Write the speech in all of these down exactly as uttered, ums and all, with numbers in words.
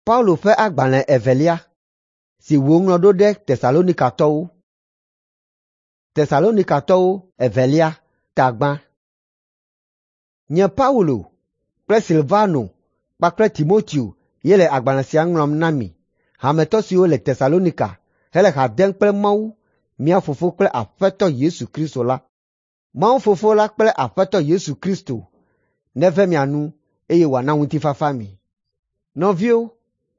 Paulo ƒe agbalẽ evelia si wòŋlɔ ɖo ɖe Tesalonikatɔwo. Tesalonikatɔwo evelia ta gbã. Nye Paulo kple Silvano kpakple Timoteo ye le agbalẽ sia ŋlɔm na mi, hametɔ siwo le Tesalonika hele ha dem kple Mawu, mía Fofo kple Aƒetɔ Yesu Kristo la. Mawu Fofo la kple Aƒetɔ Yesu Kristo neve mia nu eye wòana ŋutifafa mi. Nɔviwo,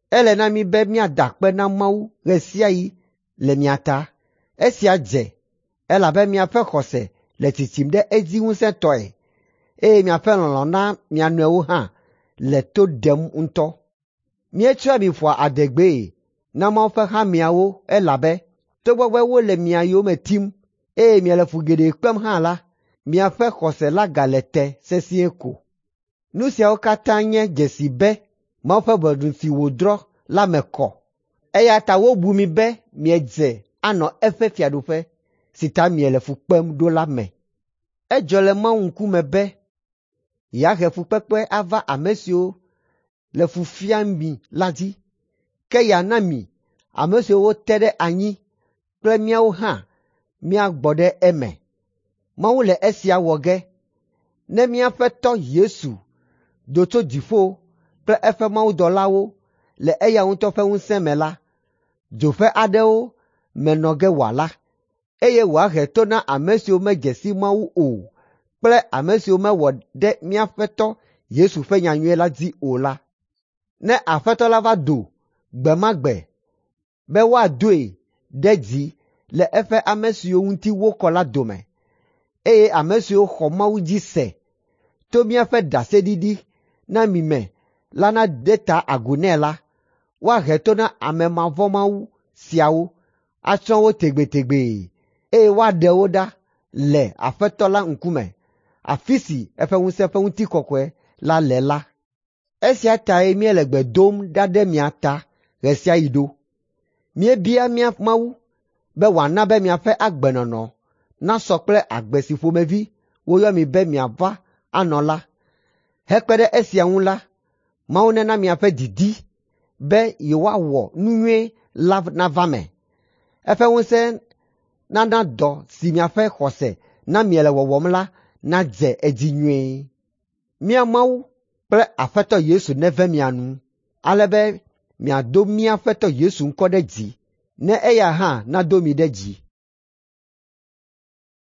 ele na mí be míada akpe na Mawu ɣe sia ɣi le mia ta. Esia dze elabe miaƒe xɔse le tsitsim ɖe edzi ŋusẽtɔe eye miaƒe lɔlɔ̃ na mia nɔewo hã le to ɖem ŋutɔ. Míetsɔa mi ƒoa adegbee na Mawu ƒe hameawo elabe togbɔ be wole mia yome tim eye miele fu geɖe kpem hã la, miaƒe xɔse la gale te sesĩe ko. Nu siawo katã nye dzesi be Mawu ƒe ʋɔnu si wòdrɔ̃ la me kɔ eya ta wobu mi be miedze anɔ eƒe fiaɖuƒe si ta miele fu kpem ɖo la me. Edzɔ le Mawu ŋkume be yeahe fukpekpe ava ame siwo le fu fiam mi la dzi, ke yeana mi ame siwo wote ɖe anyi kple míawo hã míagbɔ ɖe eme. Mawu le esia wɔ ge ne míaƒe Tɔ Yesu do tso dziƒo kple eƒe mawudɔlawo le eya ŋutɔ ƒe ŋusẽ me la, dzo ƒe aɖewo me nɔ ge wòala, eye wòahe to na ame siwo medze si Mawu o kple ame siwo mewɔ ɖe míaƒe Tɔ Yesu ƒe nyanyui la dzi o la. Ne Aƒetɔ la va do gbe ma gbe be woadoe ɖe dzi le eƒe ame siwo ŋuti wokɔ la dome, eye ame siwo xɔ Mawu dzi se to míaƒe ɖaseɖiɖi na mi me la nade ta agu nɛ la, woahe to na ame mavɔ̃mawu siawo, atsrɔ̃ wo tegbetegbe eye woaɖe wo ɖa le Aƒetɔ la ŋkume, afi si eƒe ŋusẽ ƒe ŋutikɔkɔe la le la. Esia tae míele gbe dom ɖa ɖe mia ta ɣe sia ɣi ɖo. Míebia mía Mawu be wòana be miaƒe agbenɔnɔ nasɔ kple agbe si ƒomevi woyɔ mi be miava anɔ la. Hekpe ɖe esia ŋu la, Mawu nena miaƒe didi be yewoawɔ nu nyui la nava me. Eƒe ŋusẽ nana dɔ si miaƒe xɔse na miele wɔwɔm la nadze edzi nyuie. Mía Mawu kple Aƒetɔ Yesu neve mia nu, ale be miado mía Aƒetɔ Yesu ŋkɔ ɖe dzi, ne eya hã nado mi ɖe dzi.